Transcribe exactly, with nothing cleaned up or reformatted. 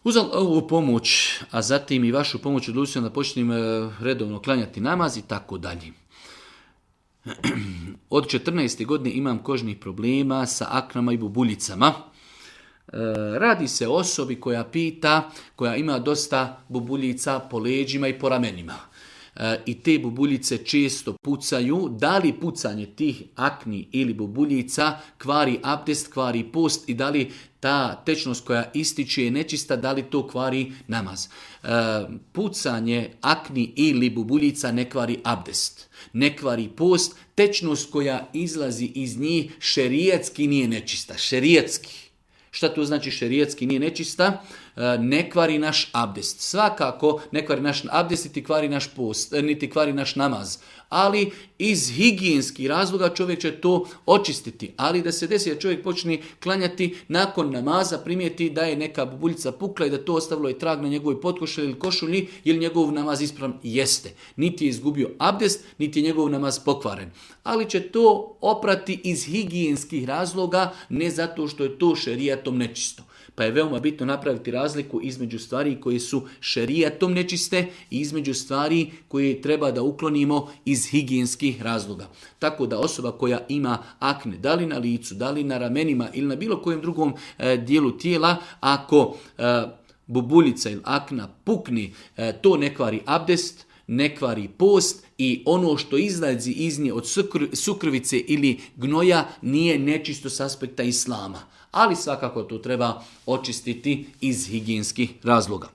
Uz ovu pomoć, a zatim i vašu pomoć odlučio da počnem redovno klanjati namaz i tako dalje. Od četrnaeste godine imam kožnih problema sa aknama i bubuljicama. Radi se o osobi koja pita, koja ima dosta bubuljica po leđima i po ramenima. I te bubuljice često pucaju. Da li pucanje tih akni ili bubuljica kvari abdest, kvari post i da li ta tečnost koja ističe je nečista, da li to kvari namaz? Pucanje akni ili bubuljica ne kvari abdest, ne kvari post. Tečnost koja izlazi iz njih šerijatski nije nečista. Šerijatski. Šta to znači šerijatski nije nečista? Ne kvari naš abdest. Svakako ne kvari naš abdest, niti kvari naš post, niti kvari naš namaz. Ali iz higijenskih razloga čovjek će to očistiti. Ali da se desi da čovjek počne klanjati nakon namaza, primijeti da je neka bubuljica pukla i da to ostavilo i trag na njegovoj potkošulji ili košulji, ili njegov namaz ispravan, jeste. Niti je izgubio abdest, niti je njegov namaz pokvaren. Ali će to oprati iz higijenskih razloga, ne zato što je to šerijatom nečisto. Pa je veoma bitno napraviti razliku između stvari koje su šerijatom nečiste i između stvari koje treba da uklonimo iz higijenskih razloga. Tako da osoba koja ima akne, da li na licu, da li na ramenima ili na bilo kojem drugom e, dijelu tijela, ako e, bubuljica ili akna pukne, e, to ne kvari abdest, ne kvari post i ono što izlazi iz nje od sukrvice ili gnoja nije nečisto s aspekta islama. Ali svakako to treba očistiti iz higijenskih razloga.